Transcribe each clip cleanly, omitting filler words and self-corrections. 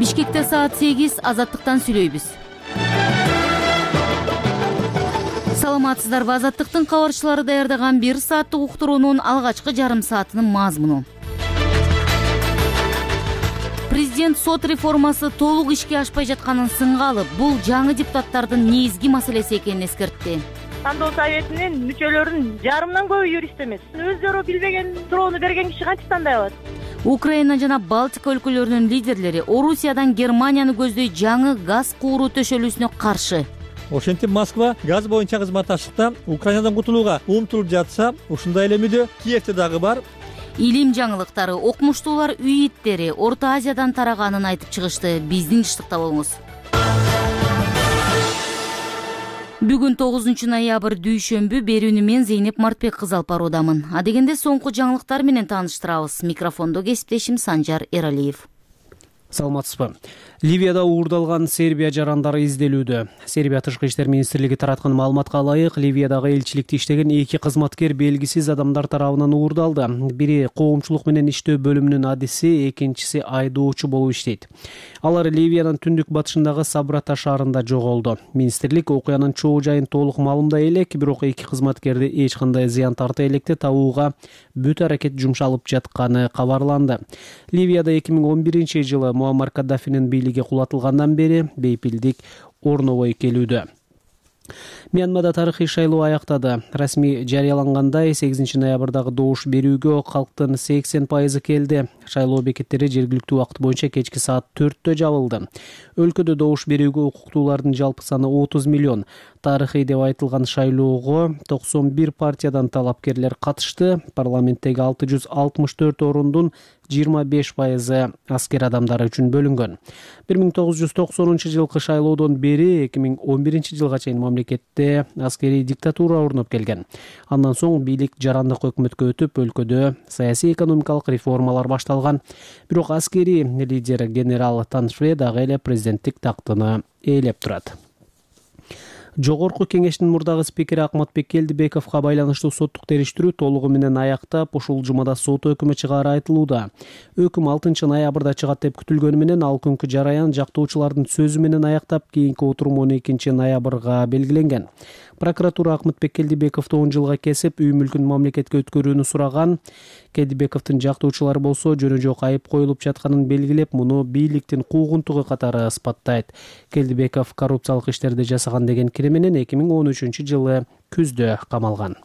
Бишкекте саат 8, Азаттыктан сүйлөйбүз. Саламатсыздарбы? Азаттыктын кабарчылары даярдаган 1 сааттык уктуруунун алгачкы жарым саатынын мазмуну. Президент сот реформасы толук ишке ашпай жатканын сынга алып, бул жаңы депутаттардын негизги маселеси экенин эскертти. Тандоо советинин мүчөлөрүнүн жарымдан көбү юрист эмес. Өздөрү билбеген суроону берген киши кантип тандай алат? Украина жана Балтика өлкөлөрүнүн лидерлери Орусиядан Германияны көздөй жаңы газ кууруу төшөлүүсүнө каршы. Ошентип Москва газ боюнча кызматташтыкта Украинадан кутулууга умтулуп жатса, ушундай эле мүдө Киевде дагы бар. Илим жаңылыктары, окумуштуулар үйиттери Орто Азиядан тараганын айтып чыгышты. Биздин жыштыкта болуңуз. Бүгүн 9 ноябрь дүйшөмбү, берүүнү мен Зейнеп Мартбек кызы алып баруудамын. Адегенде соңку жаңылыктар менен тааныштырабыз. Микрофондо кесиптешим Санжар Эралиев. Саламатсызбы? Ливияда уурдалган Сербия жарандары изделүүдө. Сербия тышкы иштер министрлиги тараткан маалыматка ылайык, Ливиядагы элчиликте иштеген 2 кызматкер белгисиз адамдар тарабынан уурдалды. Бири коомчулук менен иштөө бөлүмүнүн адиси, экинчиси айдоочу болуп иштейт. Алар Ливиянын түндүк батышындагы Сабрата шаарында жоголду. Министрлик окуянын чоо жайын толук маалымдай элек, бирок 2 кызматкерди эч кандай зыян тарта электе табууга бүт аракет жумшалып жатканы кабарланды. Ливияда 2011-жылы Муаммар Каддафинин бийлиги кулатылгандан бери бейпилдик орнобой келүүдө. Мьянмада тарыхый шайлоо аяктады. Расмий жарыялангандай 8 ноябрдагы добуш берүүгө калктын 80% келди. Шайлоо бекеттери жергиликтүү убакыт боюнча кечки саат 4-тө жабылды. Өлкөдө добуш берүүгө укуктуулардын жалпы саны 30 миллион. Тарыхый деп айтылган шайлоого 91 партиядан талапкерлер катышты. Парламенттеги 664 орундун 25% аскер адамдары үчүн бөлүнгөн. 1990-жылкы шайлоодон бери 2011-жылга чейин мамлекетте аскерий диктатура орноп келген. Андан соң бийлик жарандык өкмөткө өтүп, өлкөдө саясий экономикалык реформалар башталган. Бирок аскерий лидер генерал Таншве дагы эле президенттик тактыны ээлеп турат. Жогорку кеңештин мурдагы спикери Акматбек Келдибековго байланыштуу соттук териштирүү толугу менен аяктап, ушул жумада сот өкүмү чыгаары айтылууда. Өкүм 6 ноябрда чыгат деп күтүлгөнү менен ал күнкү жараян жактоочулардын сөзү менен аяктап, кийинки отурум 12 ноябрга белгиленген. Прокуратура Акматбек Келдибековду 10 жылга кесип, үй мүлкүн мамлекетке өткөрүүнү сураган. Келдибековдун жактоочулары болсо жөнө жок айып коюлуп жатканын белгилеп, муну бийликтин куугунтугу катары ысбаттайт. Келдибеков коррупциялык иштерди жасаган деген кире менен 2013-жылы күздө камалган.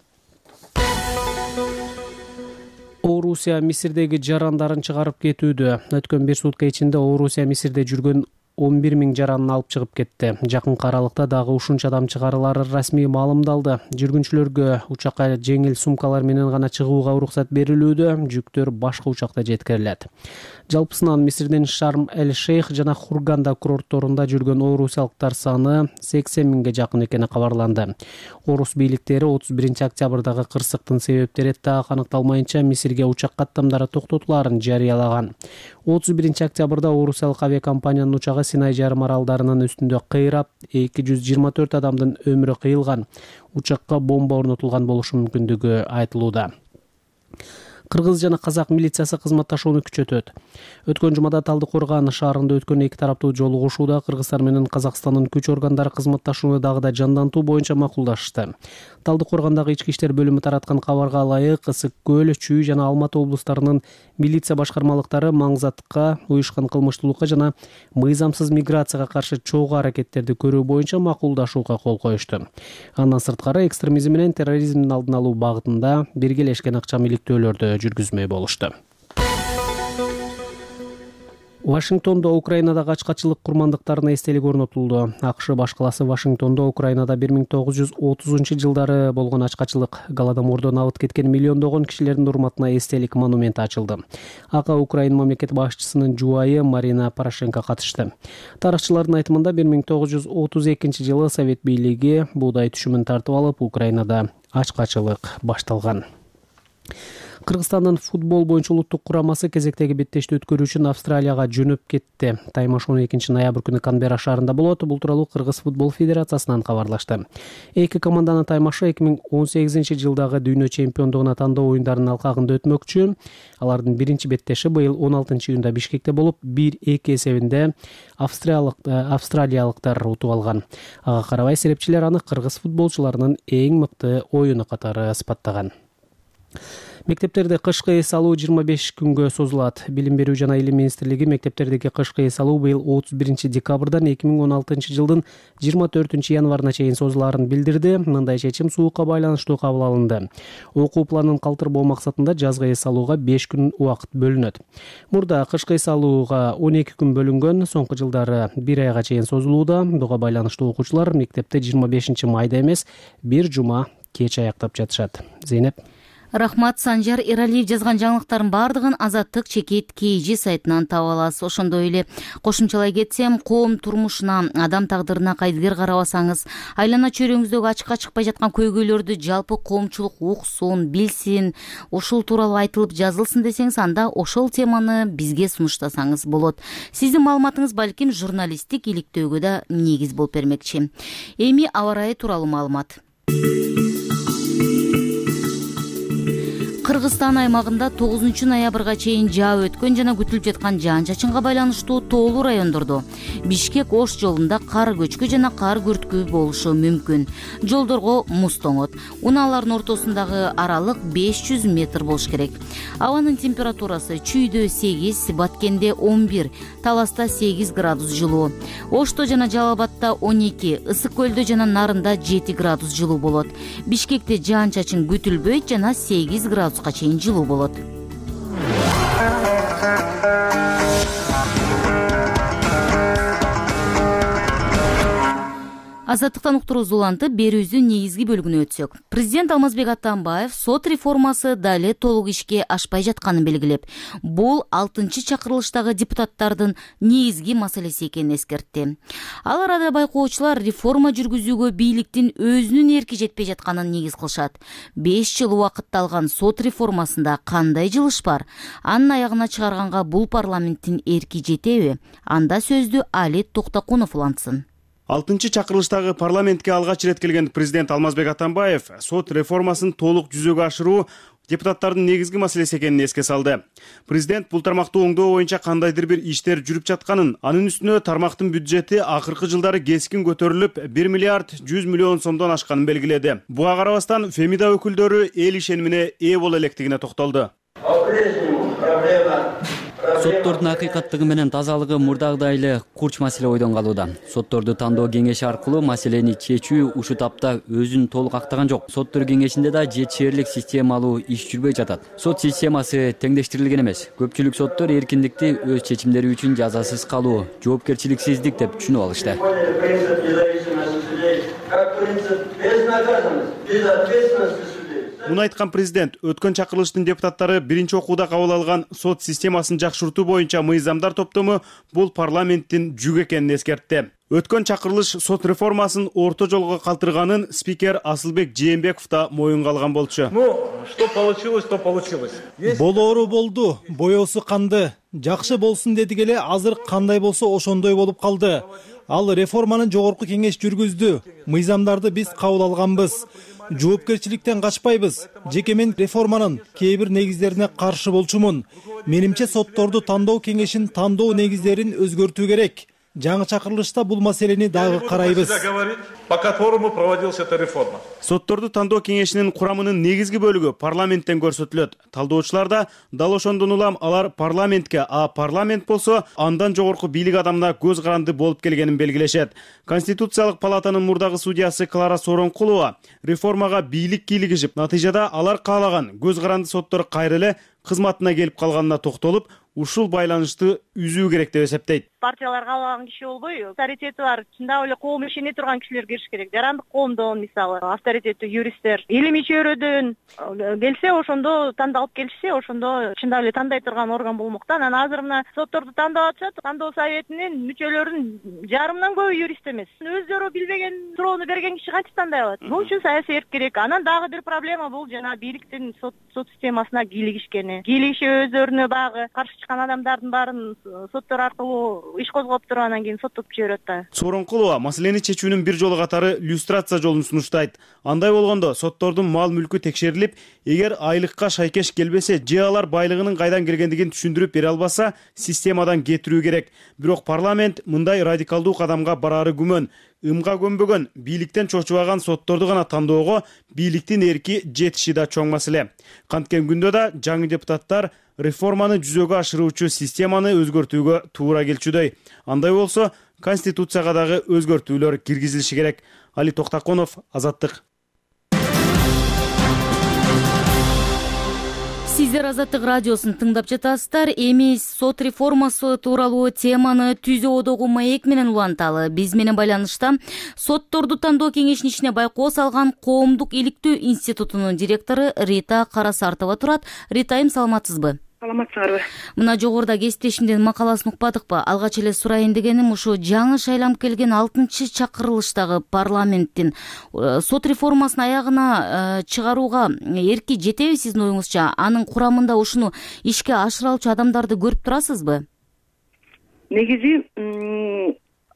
Орусия Мисирдеги жарандарын чыгарып кетүүдө. Өткөн 1 сутка ичинде Орусия Мисирде жүргөн 11 000 жаранын алып чыгып кетти. Жакынкы аралыкта дагы ушунча адам чыгарылары расмий маалымдалды. Жүргүнчүлөргө учакка жеңил сумкалар менен гана чыгууга уруксат берилүүдө, жүктөр башка учакта жеткирилет. Жалпысынан Мисирдин Шарм-эль-Шейх жана Хурганда курортторунда жүргөн орусиялыктар саны 80 000ге жакын экени кабарланды. Орус бийликтери 31 октябрдагы кырсыктын себептери так аныкталмайынча Мисирге учак каттамдары токтотулаарын жарыялаган. 31 октябрда орусиялык авиакомпаниянын учагы Синай жарым аралдарынын үстүндө кыйрап, 224 адамдын өмүрү кыйылган. Учакка бомба орнотулган болушу мүмкүндүгү айтылууда. Кыргыз жана казак милициясы кызматташууну күчөтөт. Өткөн жумада Талдыкорган шаарында өткөн 2 тараптуу жолугушууда Кыргызстан менен Казакстандын күч органдары кызматташууну дагы да жандантуу боюнча макулдашты. Талдыкоргандагы ички иштер бөлүмү тараткан кабарга ылайык, Ысык көл, Чүй жана Алматы облустарынын милиция башкармалыктары маңзатка, уюшкан кылмыштуулукка жана мыйзамсыз миграцияга каршы чогуу аракеттерди көрүү боюнча макулдашууга кол коюшту. Андан сырткары экстремизм менен терроризмдин алдын алуу багытында биргелешкен акча иликтөөлөрдү жүргүзмөй болушту. Вашингтондо Украинадагы ачкачылык курмандыктарына эстелик орнотулду. АКШ баш каласы Вашингтондо Украинада 1930-жылдары болгон ачкачылык, Голодомордон абыт кеткен миллиондогон кишилердин урматына эстелик монументи ачылды. Ага Украин мамлекет башчысынын жубайы Марина Порошенко катышты. Тарыхчылардын айтымында 1932-жылы Совет бийлиги буудай түшүмүн тартып алып, Украинада ачкачылык башталган. Кыргызстандын футбол боюнча улуттук курамасы кезектеги беттешти өткөрүү үчүн Австралияга жөнөп кетти. Таймаш 12-ноябрь күнү Канберра шаарында болот. Бул тууралуу Кыргыз футбол федерациясынан кабарлашты. Эки команданын таймашы 2018-жылдагы дүйнө чемпиондугуна тандоо оюндарынын алкагында өтмөкчү. Алардын биринчи беттеши быйыл 16-июнда Бишкекте болуп, 1-2 эсебинде австралиялыктар утуп алган. Ага карабай серепчилер аны кыргыз футболчуларынын эң мыкты оюну катары сыпаттаган. Мектептерде кышкы эс алуу 25 күнгө созулат. Билим берүү жана илим министрлиги мектептердеги кышкы эс алуу быйыл 31 декабрдан 2016 жылдын 24 январына чейин созулаарын билдирди. Мындай чечим суукка байланыштуу кабыл алынды. Окуу планын калтырбоо максатында жазгы эс алууга 5 күн убакыт бөлүнөт. Мурда кышкы эс алууга 12 күн бөлүнгөн, соңку жылдары 1 айга чейин созулууда. Буга байланыштуу окуучулар мектепте 25 майда эмес, бир жума кеч аяктап жатышат. Зейнеп. Рахмат. Санжар Эралиев жазган жаңылыктардын баардыгын Азаттык чекит KG сайтынан таба аласыз. Ошондой эле кошумчалай кетсем, коом турмушуна, адам тагдырына кайдыгер карабасаңыз, айлана чөйрөңүздөгү ачыкка чыкпай жаткан көйгөйлөрдү жалпы коомчулук уксун, билсин, ушул тууралуу айтылып жазылсын десеңиз, анда ошол теманы бизге сунуштасаңыз болот. Сиздин маалыматыңыз балким журналисттик иликтөөгө да негиз болуп бермекчи. Эми аба ырайы тууралуу маалымат. Кыргызстан аймагында 9-ноябрга чейин жаап өткөн жана күтүлүп жаткан жаан-чачынга байланыштуу тоолуу райондордо Бишкек-Ош жолунда кар көчкү жана кар күрткү болушу мүмкүн. Жолдорго муз тоңот. Унаалардын ортосундагы аралык 500 метр болуш керек. Абанын температурасы Чүйдө 8, Баткенде 11, Таласта 8 градус жылуу. Ошто жана Жалал Абадта 12, Ысык көлдө жана Нарында 7 градус жылуу болот. Бишкекте жаан-чачын күтүлбөйт жана 8 градуска чейин жылуу болот. Азаттыктан уктуруубуз улантып, берүүбүздүн негизги бөлүгүнө өтсөк. Президент Алмазбек Атамбаев сот реформасы дали толук ишке ашпай жатканын белгилеп, бул 6-чакырылыштагы депутаттардын негизги маселеси экенин эскертти. Ал арада байкоочулар реформа жүргүзүүгө бийликтин өзүнүн эрки жетпей жатканын негиз кылышат. 5 жыл убакытты алган сот реформасында кандай жылыш бар? Анын аягына чыгарганга бул парламенттин эрки жетеби? Анда сөздү Али Токтокунов улантсын. 6-чакырылыштагы парламентке алгач ирет келген президент Алмазбек Атамбаев сот реформасын толук жүзөгө ашыруу депутаттардын негизги маселеси экенин эске салды. Президент бул тармактуу оңдоо боюнча кандайдыр бир иштер жүрүп жатканын, анын үстүнө тармактын бюджети акыркы жылдары кескин көтөрүлүп, 1 миллиард 100 миллион сомдон ашканын белгиледи. Буга карабастан Фемида өкүлдөрү эл ишенимине ээ боло электигине токтолду. Соттордун акыйкаттыгы менен тазалыгы мурдагыдай эле курч маселе ойдон калууда. Сотторду тандоо кеңеши аркылуу маселени чечүү ушул тапта өзүн толук актаган жок. Соттор кеңешинде да жетишээрлик системалуу иш жүрбөй жатат. Сот системасы теңдештирилген эмес. Көпчүлүк соттор эркиндикти өз чечимдери үчүн жазасыз калуу, жоопкерчиликсиздик деп түшүнүп алышты. Муну айткан президент өткөн чакырылыштын депутаттары биринчи окууда кабыл алган сот системасын жакшыртуу боюнча мыйзамдар топтому бул парламенттин жүгү экенин эскертти. Өткөн чакырылыш сот реформасын орто жолго калтырганын спикер Асылбек Жээнбеков да моюнга алган болчу. Что получилось, то получилось. Болоору болду, боёсу канды. Жакшы болсун дедик эле, азыр кандай болсо ошондой болуп калды. Ал реформанын жогорку кеңеш жүргүздү. Мыйзамдарды биз кабыл алганбыз. Жоопкерчиликтен качпайбыз. Жеке мен реформанын кээ бир негиздерине каршы болчумун. Менимче сотторду тандоо кеңешин тандоо негиздерин өзгөртүү керек. Жаңы чакырылышта бул маселени дагы карайбыз. По которому проводилась эта реформа. Сотторду тандоо кеңешинин курамынын негизги бөлүгү парламенттен көрсөтүлөт. Талдоочулар да дал ошондон улам алар парламентке, а парламент болсо андан жогорку бийлик адамына көз каранды болуп келгенин белгилешет. Конституциялык палатанын мурдагы судьясы Клара Сооронкулова реформага бийлик кийлигишип, натыйжада алар каалаган көз каранды соттор кайра эле кызматына келип калганына токтолуп, ушул байланышты үзүү керек деп эсептейт. Партияларга кабылган киши болбой, авторитети бар, чындап эле коом ишене турган кишилер кириш керек. Жарандык коомдон, мисалы, авторитеттүү юристтер, илимий чөйрөдөн келсе, ошондо тандалып келишсе, ошондо чындап эле тандай турган орган болмок да. Анан азыр мына сотторду тандап атышат, тандоо советинин мүчөлөрүнүн жарымынан көбү юрист эмес. Өздөрү билбеген суроону берген киши кантип тандай алат? Бул үчүн саясий эрк керек. Анан дагы бир проблема бул жана бийликтин сот системасына кийлигишкени. Кийлигишип өздөрүнө баягы каршы чыккан адамдардын баарын соттор аркылуу иш козгоп туруп анан кийин соттоп жиберет да. Сооронкулова маселени чечүүнүн бир жолу катары люстрация жолун сунуштайт. Андай болгондо соттордун мал мүлкү текшерилип, эгер айлыкка шайкеш келбесе же алар байлыгынын кайдан келгендигин түшүндүрүп бере албаса, системадан кетирүү керек. Бирок парламент мындай радикалдуу кадамга бараары күмөн. Ымга көнбөгөн, бийликтен чочубаган сотторду гана тандоого бийликтин эрки жетиши да чоң маселе. Канткен күндө да жаңы депутаттар реформаны жүзөгө ашыруучу системаны өзгөртүүгө туура келчүдөй. Андай болсо, Конституцияга дагы өзгөртүүлөр киргизилиши керек. Али Токтаконов, Азаттык. Сиздер Азаттык радиосун тыңдап жатасыздар. Эми сот реформасы тууралуу теманы Түзүү одогу маек менен уланталы. Биз менен байланышта сотторду тандоо кеңешинин ичине байкоо салган Коомдук иликтөө институтунун директору Рита Карасартова турат. Ритайым, саламатсызбы? Саламатсыңарбы? Мына жогоруда кесиптешимдин макаласын укпадыкпы? Алгач эле сурайын дегеним ушу жаңы шайланып келген 6-чы чакырылыштагы парламенттин сот реформасын аягына чыгарууга эрки жетеби сиздин оюңузча? Анын курамында ушуну ишке ашыра алчу адамдарды көрүп турасызбы? Негизи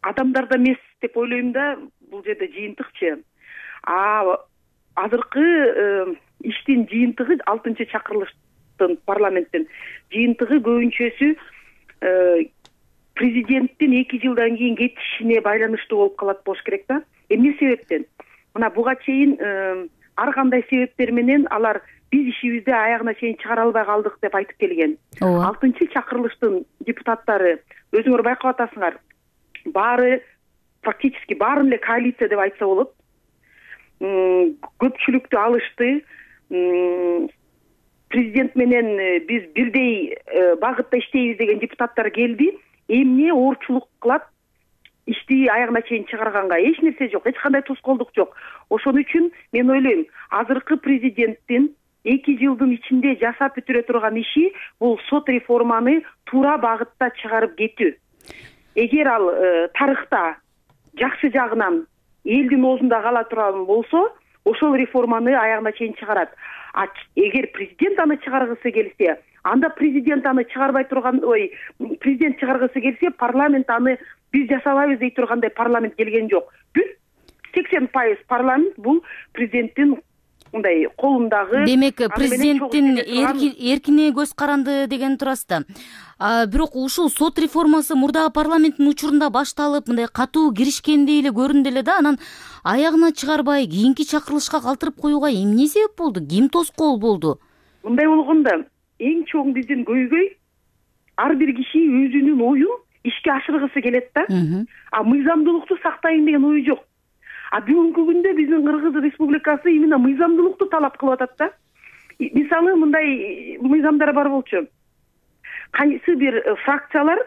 адамдарда эмес деп ойлойм да, бул жерде жыйынтыкчы. Азыркы иштин жыйынтыгы 6-чы чакырылыш парламенттин жыйынтыгы көбүнчөсү президенттин 2 жылдан кийин кетишине байланыштуу болуп калат болуш керек да. Эмне себептен? Мына буга чейин ар кандай себептер менен алар биз ишибизди аягына чейин чыгара албай калдык деп айтып келген. 6-чы чакырылыштын депутаттары, өзүңөр байкап атасыңар, баары практически баарын эле коалиция деп айтса болот. Көпчүлүктү алышты. Президент менен биз бирдей багытта иштейбиз деген депутаттар келди. Эмне оорчулук кылат? Ишти аягына чейин чыгарганга эч нерсе жок, эч кандай тоскоолдук жок. Ошон үчүн мен ойлойм, азыркы президенттин 2 жылдын ичинде жасап бүтүрө турган иши бул сот реформаны туура багытта чыгарып кетүү. Эгер ал тарыхта жакшы жагынан элдин оозунда кала турган болсо, ошол реформаны аягына чейин чыгарат. Эгер президент аны чыгаргысы келсе, анда президент аны чыгарбай турган, президент чыгаргысы келсе, парламент аны биз жасабайбыз дей тургандай парламент келген жок. Бүт 80% парламент бул президенттин мындай колундагы. Демек, президенттин эркине көз каранды деген турасыз да. Бирок ушул сот реформасы мурдагы парламенттин учурунда башталып, мындай катуу киришкендей эле көрүндү эле да, анан аягына чыгарбай кийинки чакырылышка калтырып коюуга эмне себеп болду? Ким тоскоол болду? Мындай болгондо эң чоң биздин көйгөй ар бир киши өзүнүн оюн ишке ашыргысы келет да. Мыйзамдуулукту сактайын деген ою жок. Бүгүнкү күндө биздин Кыргыз Республикасы именно мыйзамдуулукту талап кылып атат да. Мисалы мындай мыйзамдар бар болчу. Кайсы бир фракциялар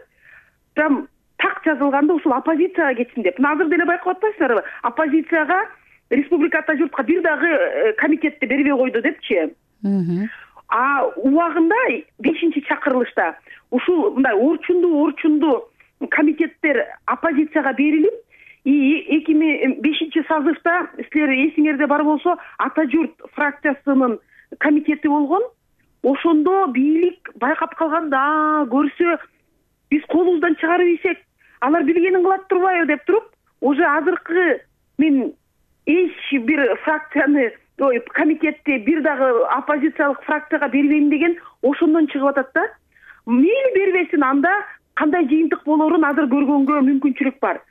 прям так жазылганда ушул оппозицияга кетсин деп. Азыр деле байкап атпайсыздарбы? Оппозицияга республикада журтка бир дагы комитетти бербей койду депчи. Убагында 5-чи чакырылышта ушул мындай орчундуу комитеттер оппозицияга берилип, 2005 созывда силер эсиңерде бар болсо Ата журт фракциясынын комитети болгон. Ошондо бийлик байкап калганда көрсө биз колубуздан чыгарып ийсек, алар билгенин кылат турбайбы деп туруп, уже азыркы мен эч бир фракцияны, комитетти бир дагы оппозициялык фракцияга бербейм деген ошондон чыгып атат да. Мейли бербесин, анда кандай жыйынтык болорун азыр көргөнгө мүмкүнчүлүк бар.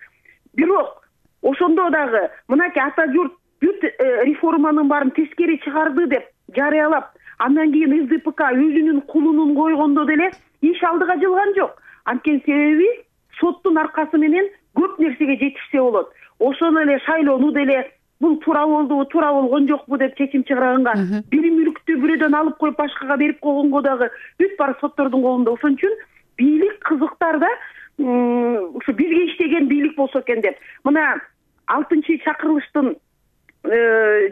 Бирок ошондо дагы мынакей Ата журт бүт реформанын баарын тескери чыгарды деп жарыялап, андан кийин СДПК өзүнүн кулунун койгондо деле иш алдыга жылган жок. Анткени себеби соттун аркасы менен көп нерсеге жетишсе болот. Ошону эле шайлоону деле бул туура болдубу, туура болгон жокпу деп чечим чыгарганга, бир мүлктү бирөөдөн алып коюп башкага берип койгонго дагы бүт баары соттордун колунда. Ошон үчүн бийлик кызыктар да, ушу бизге иштеген бийлик болсо экен деп. Мына 6-чакырылыштын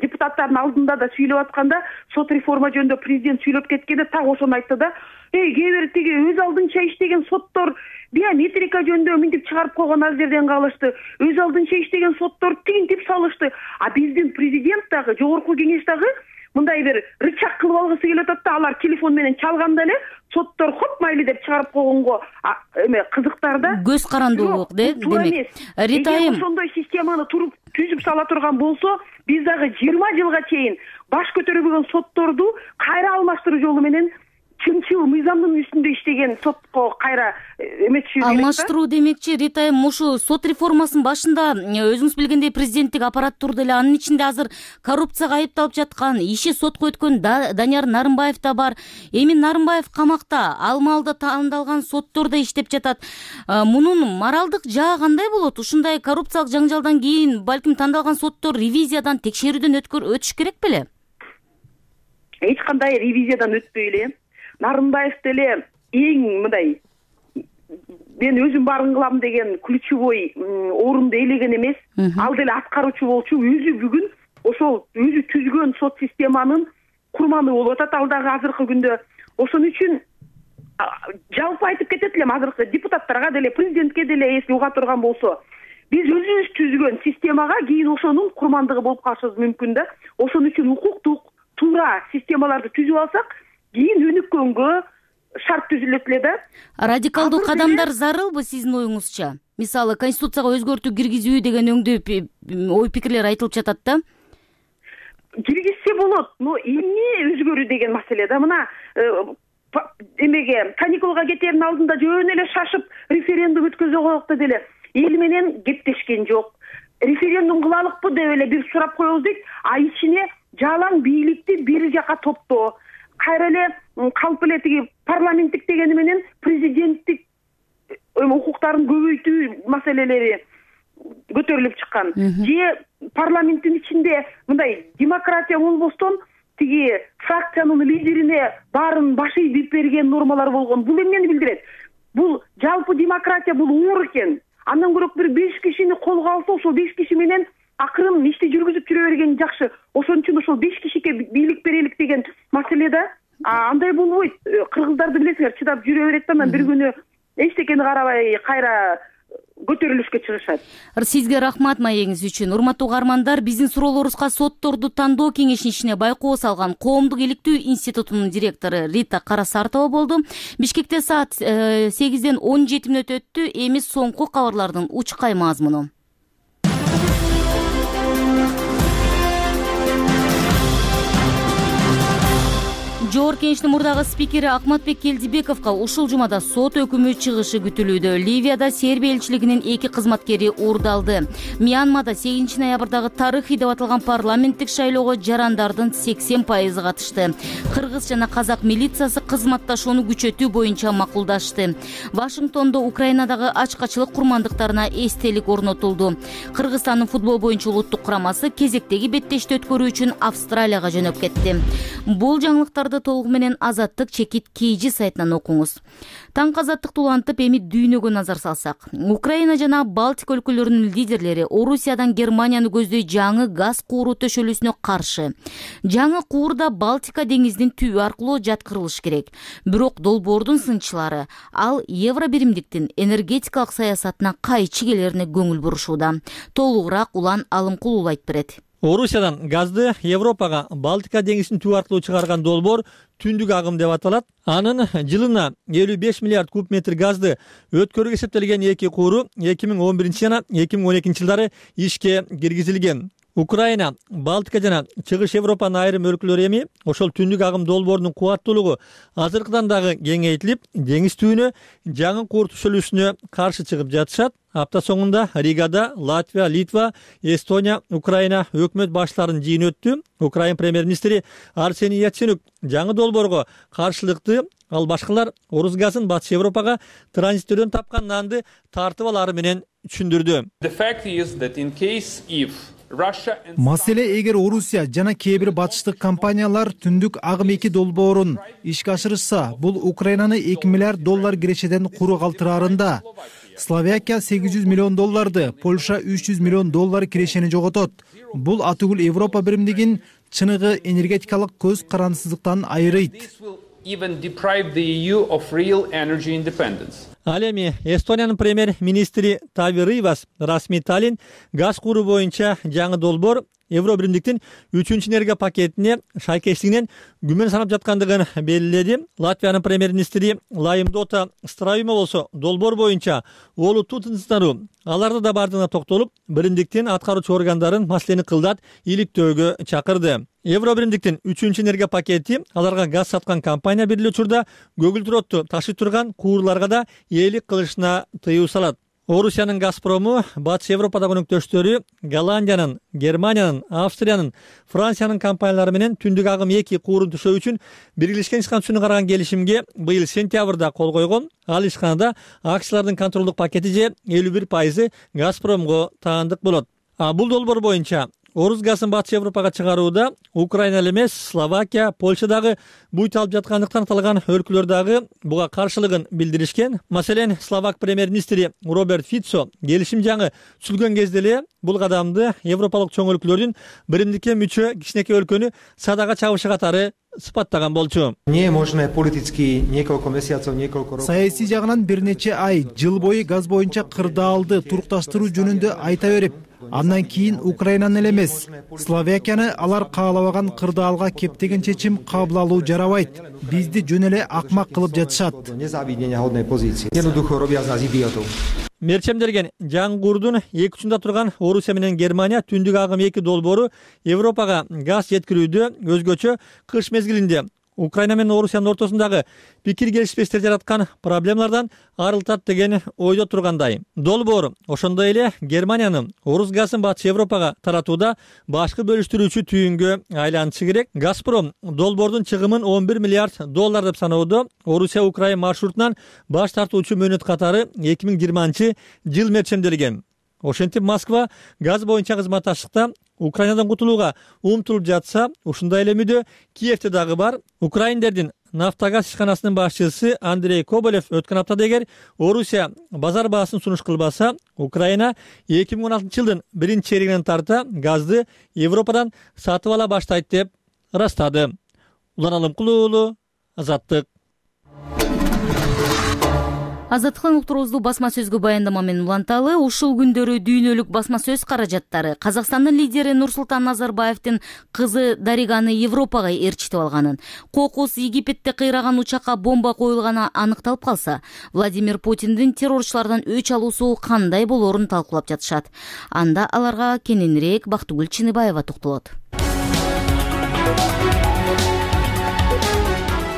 депутаттардын алдында да сүйлөп атканда, сот реформа жөнүндө президент сүйлөп кеткенде так ошону айтты да. Кээ бир тиги өз алдынча иштеген соттор биометрика жөнүндө мынтип чыгарып койгон ал жерден калышты. Өз алдынча иштеген соттор тигинтип салышты. А биздин президент дагы, жогорку кеңеш дагы мындай бир рычаг кылып алгысы келип атат да, алар телефон менен чалганда эле соттор хоп майли деп чыгарып койгонго эме кызыктар да. Көз карандуулук демек. Рита айым, ошондой системаны түзүп сала турган болсо, биз дагы 20 жылга чейин баш көтөрбөгөн сотторду кайра алмаштыруу жолу менен чынчыл мыйзамдын үстүндө иштеген сотко кайра эметиши керек. Алмаштыруу демекчи, Рита айым, ушу сот реформасынын башында өзүңүз билгендей президенттик аппарат турду эле. Анын ичинде азыр коррупцияга айыпталып жаткан, иши сотко өткөн Данияр Нарымбаев да бар. Эми Нарымбаев камакта, ал маалда тандалган соттор да иштеп жатат. Мунун моралдык жагы кандай болот? Ушундай коррупциялык жаңжалдан кийин балким тандалган соттор ревизиядан, текшерүүдөн өтүш керек беле? Эч кандай ревизиядан өтпөй эле. Нарымбаев деле эң мындай мен өзүм баарын кылам деген ключевой орунду ээлеген эмес. Ал деле аткаруучу болчу, өзү бүгүн ошол өзү түзгөн сот системанын курманы болуп атат ал дагы азыркы күндө. Ошон үчүн жалпы айтып кетет элем, азыркы депутаттарга деле, президентке деле эсти уга турган болсо, биз өзүбүз түзгөн системага кийин ошонун курмандыгы болуп калышыбыз мүмкүн да. Ошон үчүн укуктук туура системаларды түзүп алсак, кийин өнүккөнгө шарт түзүлөт эле да. Радикалдуу кадамдар зарылбы сиздин оюңузча? Мисалы, конституцияга өзгөртүү киргизүү деген өңдүү ой пикирлер айтылып жатат да. Киргизсе болот, но эмне өзгөрүү деген маселе да. Мына эмеге каникулга кетердин алдында жөн эле шашып референдум өткөзө коелук деле. Эл менен кептешкен жок. Референдум кылалыкпы деп эле бир сурап коебуз дейт, а ичине жалаң бийликти бир жака топтоо. Кайра эле калп эле тиги парламенттик дегени менен президенттик укуктарын көбөйтүү маселелери көтөрүлүп чыккан. Же парламенттин ичинде мындай демократия болбостон тиги фракциянын лидерине баарын баш ийип берген нормалар болгон. Бул эмнени билдирет? Бул жалпы демократия бул оор экен. Андан көрөк бир 5 кишини колго алса, ошол 5 киши менен акырын ишти жүргүзүп жүрө берген жакшы. Ошон үчүн ошол 5 кишиге бийлик берелик деген маселе да. Андай болбойт. Кыргыздарды билесиңер, чыдап жүрө берет да, анан бир күнү эчтекени карабай кайра көтөрүлүшкө чыгышат. Сизге рахмат маегиңиз үчүн. Урматтуу угармандар, биздин суроолорубузга сотторду тандоо кеңешинин ичине байкоо салган Коомдук иликтөө институтунун директору Рита Карасартова болду. Бишкекте саат 8-ден 17 мүнөт өттү. Эми соңку кабарлардын учкай мазмуну. Жогорку Кеңештин мурдагы спикери Акматбек Келдибековго ушул жумада сот өкүмү чыгышы күтүлүүдө. Ливияда Сербия элчилигинин 2 кызматкери уурдалды. Мьянмада 8 ноябрдагы тарыхый деп аталган парламенттик шайлоого жарандардын 80% катышты. Кыргыз жана казак милициясы кызматташууну күчөтүү боюнча макулдашты. Вашингтондо Украинадагы ачкачылык курмандыктарына эстелик орнотулду. Кыргызстандын футбол боюнча улуттук курамасы кезектеги беттешти өткөрүү үчүн Австралияга жөнөп кетти. Бул жаңылыктарды толугу менен Азаттык чекит KG сайтынан окуңуз. Таңкы азаттыкты улантып, эми дүйнөгө назар салсак. Украина жана Балтика өлкөлөрүнүн лидерлери Орусиядан Германияны көздөй жаңы газ кууру төшөлүүсүнө каршы. Жаңы куурда Балтика деңизинин түбү аркылуу жаткырылыш керек. Бирок долбоордун сынчылары ал евро биримдиктин энергетикалык саясатына кайчы келерине көңүл бурушууда. Толугураак Улан Алымкулов айтып берет. Орусиядан газды Европага Балтика деңизинин түбү аркылуу чыгарган долбоор түндүк агым деп аталат. Анын жылына 55 миллиард куб метр газды өткөрүүгө эсептелген 2 кууру 2011 жана 2012 жылдары ишке киргизилген. Украина, Балтика жана Чыгыш Европанын айрым өлкөлөрү эми ошол түндүк агым долбоорунун кубаттуулугу азыркыдан дагы кеңейтилип, деңиз түбүнө жаңы куур төшөлүүсүнө каршы чыгып жатышат. Апта соңунда Ригада Латвия, Литва, Эстония, Украина өкмөт баштарынын жыйыны өттү. Украина премьер-министри Арсений Яценюк жаңы долбоорго каршылыкты, ал башкалар орус газын Батыш Европага транзиттөөдөн тапкан нанды тартып алары менен түшүндүрдү. The fact is that in case if Маселе эгер Орусия жана кээ бир батыштык компаниялар түндүк агым 2 долбоорун ишке ашырышса, бул Украинаны 2 миллиард доллар кирешеден куру калтыраарында. Словакия 800 миллион долларды, Польша 300 миллион доллар кирешени жоготот. Бул атүгүл Европа биримдигин чыныгы энергетикалык көз карандысыздыктан айырыйт. Ал эми Эстониянын премьер-министри Тави Рыйвас расмий Таллин газ куру боюнча жаңы долбоор Евро биримдиктин 3-чү энергия пакетине шайкештигинен күмөн санап жаткандыгын белгиледи. Латвиянын премьер-министри Лайымдота Страюма болсо долбоор боюнча олуттуу тынчсыздануу аларда да бардыгына токтолуп, биримдиктин аткаруучу органдарын маселени кылдат иликтөөгө чакырды. Евро биримдиктин 3-чү энергия пакети аларга газ саткан компания бир эле учурда көгүлдүр отту ташып турган куурларга да ээлик кылышына тыюу салат. Орусиянын Газпрому Батыш Европадагы өнөктөштөрү Голландиянын, Германиянын, Австриянын, Франциянын компаниялары менен түндүк агым 2 куурун түшөө үчүн биргелешкен ишкана түшүнү караган келишимге быйыл сентябрда кол койгон. Ал ишканада акциялардын контролдук пакети же 51% Газпромго таандык болот. Бул долбоор боюнча Орус газын Батыш Европага чыгарууда Украина эле эмес, Словакия, Польша дагы буйт алып жаткандыктан аталган өлкөлөр дагы буга каршылыгын билдиришкен. Маселен, Словак премьер-министри Роберт Фицо келишим жаңы түзүлгөн кезде эле бул кадамды европалык чоң өлкөлөрдүн биримдикке мүчө кичинекей өлкөнү садага чабышы катары сыпаттаган болчу. Саясий жагынан бир нече ай, жыл бою газ боюнча кырдаалды турукташтыруу жөнүндө айта берип, андан кийин Украинаны эле эмес, Словакияны алар каалабаган кырдаалга кептеген чечим кабыл алуу жарабайт. Бизди жөн эле акмак кылып жатышат. Мерчемдерген жаңы курдун эки учунда турган Орусия менен Германия түндүк агым 2 долбоору Европага газ жеткирүүдө өзгөчө кыш мезгилинде Украина менен Орусиянын ортосундагы пикир келишпестер жараткан проблемалардан арылтат деген ойдо тургандай. Долбоор ошондой эле Германиянын Орус газын Батыш Европага таратууда башкы бөлүштүрүүчү түйүнгө айланышы керек. Газпром долбоордун чыгымын 11 миллиард доллар деп саноодо Орусия-Украина маршрутунан баш тартуучу мөөнөт катары 2020 жыл мерчемделген. Ошентип Москва газ боюнча кызматташтыкта Украинадан кутулууга умтулуп жатса, ушундай эле мүдө Киевте дагы бар. Украиндердин Нафтогаз ишканасынын башчысы Андрей Коболев өткөн аптада эгер Орусия базар баасын сунуш кылбаса, Украина 2016 жылдын 1-чейрегинен тарта газды Европадан сатып ала баштайт деп ырастады. Улан Алымкул уулу, Азаттык. Азаттыктын уктуруусу басма сөзгө баяндама менен уланталы. Ушул күндөрү дүйнөлүк басма сөз каражаттары Казакстандын лидери Нурсултан Назарбаевдин кызы Дариганы Европага ээрчитип алганын, кокус Египетте кыйраган учакка бомба коюлганы аныкталып калса, Владимир Путиндин террорчулардан өч алуусу кандай болоорун талкуулап жатышат. Анда аларга кененирээк Бактыгүл Чыныбаева токтолот.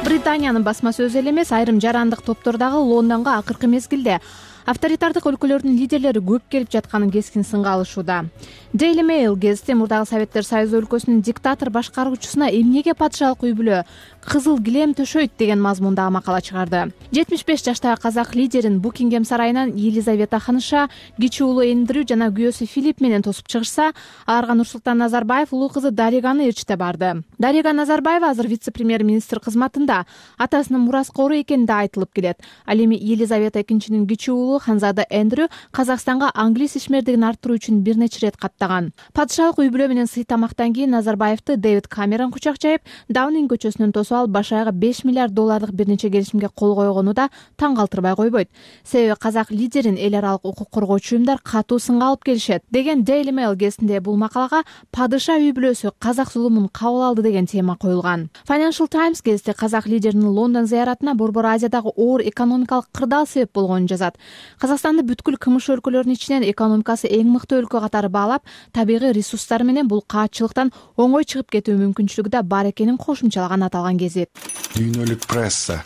Британиянын басма сөзү эле эмес, айрым жарандык топтор дагы Лондонго акыркы мезгилде авторитардык өлкөлөрдүн лидерлери көп келип жатканын кескин сынга алышууда. Daily Mail гезити мурдагы Советтер Союзу өлкөсүнүн диктатор башкаруучусуна эмнеге патшалык үй бүлө кызыл килем төшөйт деген мазмундагы макала чыгарды. 75 жаштагы казак лидерин Букингем сарайынан Елизавета ханыша кичи уулу Эндрю жана күйөөсү Филипп менен тосуп чыгышса, аларга Нурсултан Назарбаев улуу кызы Дариганы ээрчите барды. Дарига Назарбаева азыр вице-премьер-министр кызматында, атасынын мураскору экени да айтылып келет. Ал эми Елизавета экинчинин кичи уулу Ханзада Эндрю Казакстанга англис ишмердигин арттыруу үчүн бир нече ирет каттаган. Патшалык үй бүлө менен сый тамактан кийин Назарбаевди Дэвид Камерон кучак жайып, Даунинг көчөсүнөн тосуп алып, башаяга 5 миллиард доллардык бир нече келишимге кол койгону да таң калтырбай койбойт. Себеби казак лидерин эл аралык укук коргоочу уюмдар катуу сынга алып келишет деген Daily Mail гезитинде бул макалага падыша үй бүлөсү казак зулумун кабыл алды деген тема коюлган. Financial Times гезити казак лидеринин Лондон зыяратына Борбор Азиядагы оор экономикалык кырдаал себеп болгонун жазат. Казакстанды бүткүл кымыш өлкөлөрүнүн ичинен экономикасы эң мыкты өлкө катары баалап, табигый ресурстары менен бул каатчылыктан оңой чыгып кетүү мүмкүнчүлүгү да бар экенин кошумчалаган аталган гезит. Дүйнөлүк пресса.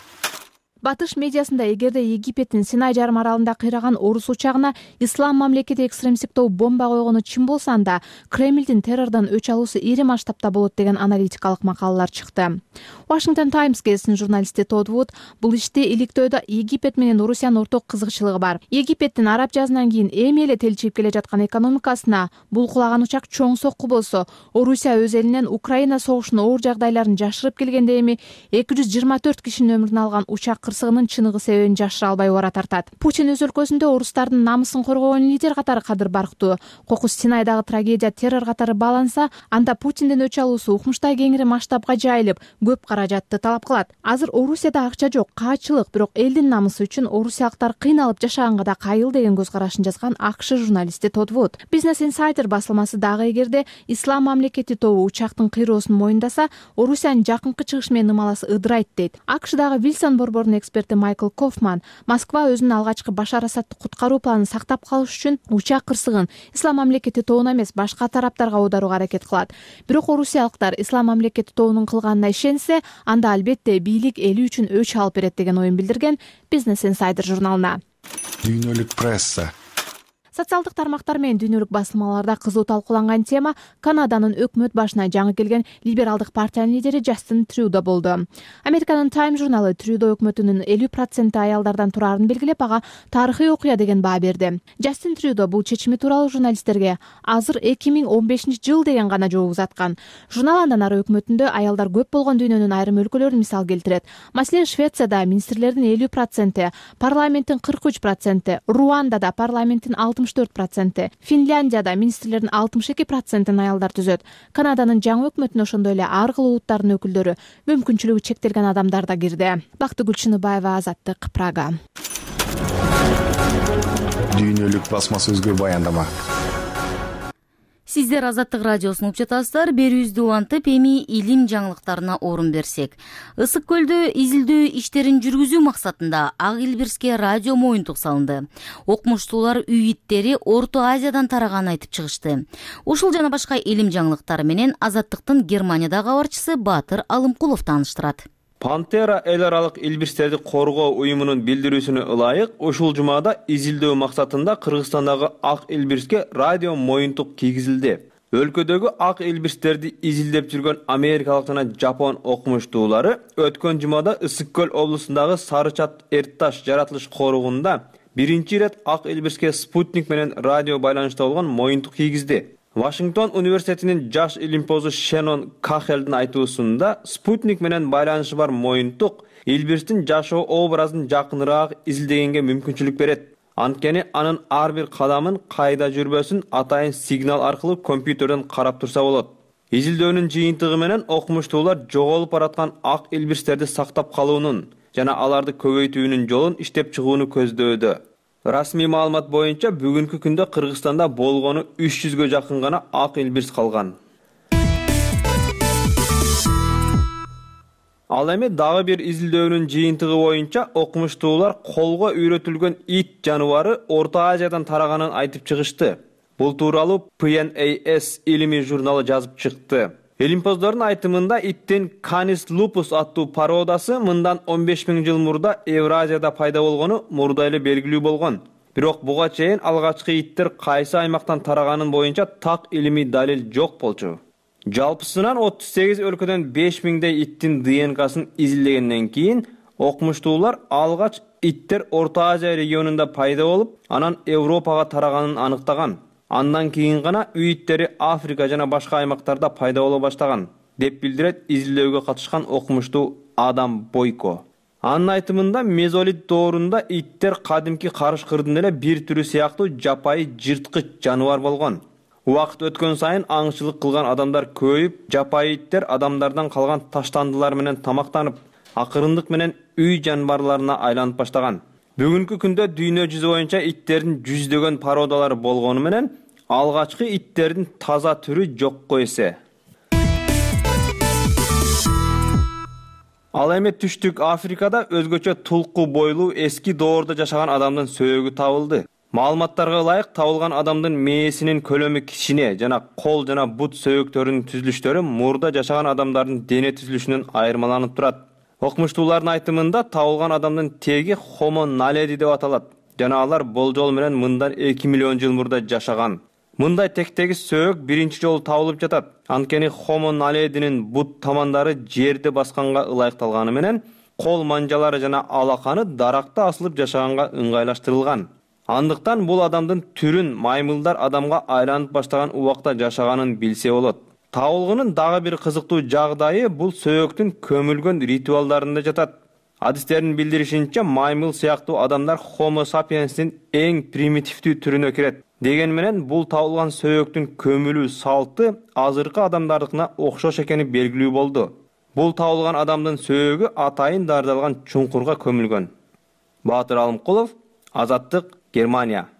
Батыш медиасында эгерде Египеттин Синай жарым аралында кыйраган орус учагына ислам мамлекети экстремисттик тобу бомба койгону чын болсо, анда Кремлдин террордон өч алуусу ири масштабта болот деген аналитикалык макалалар чыкты. Washington Times гезитинин журналисти Тодд Вуд бул ишти иликтөөдө Египет менен Орусиянын орток кызыкчылыгы бар. Египеттин араб жазынан кийин эми эле телчип келе жаткан экономикасына бул кулаган учак чоң сокку болсо, Орусия өз элинен Украина согушунун оор жагдайларын жашырып келгенде эми 224 кишинин өмүрүн алган учак кырсыгынын чыныгы себебин жашыра албай убара тартат. Путин өз өлкөсүндө орустардын намысын коргогон лидер катары кадыр барктуу. Кокус Синайдагы трагедия террор катары бааланса, анда Путиндин өч алуусу укмуштай кеңири масштабка жайылып, көп каражатты талап кылат. Азыр Орусияда акча жок, каачылык, бирок элдин намысы үчүн орусиялыктар кыйналып жашаганга да кайыл деген көз карашын жазган АКШ журналисти Тодд Вуд. Business Insider басылмасы дагы эгерде ислам мамлекети тобу учактын кыйроосун моюндаса, Орусиянын жакынкы чыгыш менен ымаласы ыдырайт дейт. АКШдагы Вилсон борборунун эксперти Майкл Кофман Москва өзүнүн алгачкы Башар Асадты куткаруу планын сактап калыш үчүн учак кырсыгын ислам мамлекети тобуна эмес, башка тараптарга аударууга аракет кылат. Бирок орусиялыктар ислам мамлекети тобунун кылганына ишенсе, анда албетте бийлик эли үчүн өч алып берет деген оюн билдирген Business Insider журналына. Дүйнөлүк пресса. Социалдык тармактар менен дүйнөлүк басылмаларда кызуу талкууланган тема Канаданын өкмөт башына жаңы келген либералдык партиянын лидери Джастин Трюдо болду. Американын Time журналы Трюдо өкмөтүнүн 50% аялдардан турарын белгилеп, ага тарыхый окуя деген баа берди. Джастин Трюдо бул чечими тууралуу журналисттерге азыр 2015-жыл деген гана жооп узаткан. Журнал андан ары өкмөтүндө аялдар көп болгон дүйнөнүн айрым өлкөлөрүн мисал келтирет. Маселен, Швецияда министрлердин 50%, парламенттин 43%, Руандада парламенттин 64%, Финляндияда министрлердин 62%-ын аялдар түзөт. Канаданын жаңы өкмөтүнө ошондой эле ар кыл улуттардын өкүлдөрү, мүмкүнчүлүгү чектелген адамдар да кирди. Бактыгүл Чыныбаева, Азаттык, Прага. Дүйнөлүк басма сөзгө баяндама. Сиздер Азаттык радиосун угуп жатасыздар. Берүүбүздү улантып, эми илим жаңылыктарына орун берсек. Ысык көлдө изилдөө иштерин жүргүзүү максатында Ак Илбирске радио моюнтук салынды. Окумуштуулар үй иттери Орто Азиядан тараганын айтып чыгышты. Ушул жана башка илим жаңылыктары менен Азаттыктын Германиядагы кабарчысы Баатыр Алымкулов тааныштырат. Пантера эл аралык илбирстерди коргоо уюмунун билдирүүсүнө ылайык ушул жумада изилдөө максатында Кыргызстандагы Ак Илбирске радио моюнтук кийгизилди. Өлкөдөгү ак илбирстерди изилдеп жүргөн америкалык жана жапон окумуштуулары өткөн жумада Ысык көл облусундагы Сарычат Эртташ жаратылыш корugунда биринчи ирет Ак Илбирске спутник менен радио байланышта болгон моюнтук кийгизди. Вашингтон университетинин жаш илимпозу Шенон Кахелдин айтуусунда спутник менен байланышы бар моюнтук илбирстин жашоо образын жакыныраак изилдегенге мүмкүнчүлүк берет. Анткени анын ар бир кадамын, кайда жүрбөсүн атайын сигнал аркылуу компьютерден карап турса болот. Изилдөөнүн жыйынтыгы менен окумуштуулар жоголуп бараткан ак илбирстерди сактап калуунун жана аларды көбөйтүүнүн жолун иштеп чыгууну көздөөдө. Расмий маалымат боюнча бүгүнкү күндө Кыргызстанда болгону 300гө жакын гана ак илбирс калган. Ал эми дагы бир изилдөөнүн жыйынтыгы боюнча окумуштуулар колго үйрөтүлгөн ит жаныбары Орто Азиядан тараганын айтып чыгышты. Бул тууралуу PNAS илимий журналы жазып чыкты. Илимпоздордун айтымында иттин Canis lupus аттуу породасы мындан 15 000 жыл мурда Евразияда пайда болгону мурда эле белгилүү болгон. Бирок буга чейин алгачкы иттер кайсы аймактан тараганын боюнча так илимий далил жок болчу. Жалпысынан 38 өлкөдөн 5000дей иттин ДНКсын изилдегенден кийин окумуштуулар алгач иттер Орто Азия регионунда пайда болуп, анан Европага тараганын аныктаган. Андан кийин гана үй иттери Африка жана башка аймактарда пайда боло баштаган, деп билдирет изилдөөгө катышкан окумуштуу Адам Бойко. Анын айтымында мезолит доорунда иттер кадимки карыш-кырдын эле бир түрү сыяктуу жапайы жырткыч жаныбар болгон. Убакыт өткөн сайын аңчылык кылган адамдар көбөйүп, жапайы иттер адамдардан калган таштандылар менен тамактанып, акырындык менен үй жаныбарларына айланып баштаган. Бүгүнкү күндө дүйнө жүзү боюнча иттердин жүздөгөн породалары болгону менен алгачкы иттердин таза түрү жокко эсе. Ал эми Түштүк Африкада өзгөчө тулку бойлуу эски доордо жашаган адамдын сөөгү табылды. Маалыматтарга ылайык табылган адамдын мээсинин көлөмү кичине жана кол жана бут сөөктөрүнүн түзүлүштөрү мурда жашаган адамдардын дене түзүлүшүнөн айырмаланып турат. Окумуштуулардын айтымында табылган адамдын теги Homo naledi деп аталат жана алар болжол менен мындан 2 миллион жыл мурда жашаган. Мындай тектеги сөөк биринчи жолу табылып жатат. Анткени Homo naledинин бут тамандары жерди басканга ылайыкталганы менен кол манжалары жана алаканы даракта асылып жашаганга ыңгайлаштырылган. Андыктан бул адамдын түрүн маймылдар адамга айланып баштаган убакта жашаганын билсе болот. Табылгынын дагы бир кызыктуу жагдайы бул сөөктүн көмүлгөн ритуалдарында жатат. Адистердин билдиришинче, маймыл сыяктуу адамдар Homo sapiens'тин эң примитивдүү түрүнө кирет. Деген менен бул табылган сөөктүн көмүлүү салты азыркы адамдардыкына окшош экени белгилүү болду. Бул табылган адамдын сөөгү атайын дардалган чуңкурга көмүлгөн. Баатыр Алымкулов, Азаттык, Германия.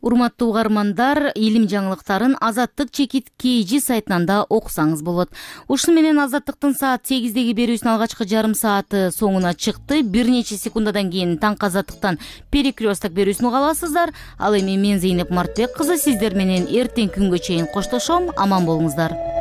Урматтуу угармандар, илим жаңылыктарын Азаттык чекит KG сайтынан да окусаңыз болот. Ушуну менен Азаттыктын саат 8деги берүүсүнүн алгачкы жарым сааты соңуна чыкты. Бир нече секундадан кийин таңкы Азаттыктан перекресток берүүсүн уга аласыздар. Ал эми мен Зейнеп Мартбек кызы сиздер менен эртең күнгө чейин коштошом. Аман болуңуздар.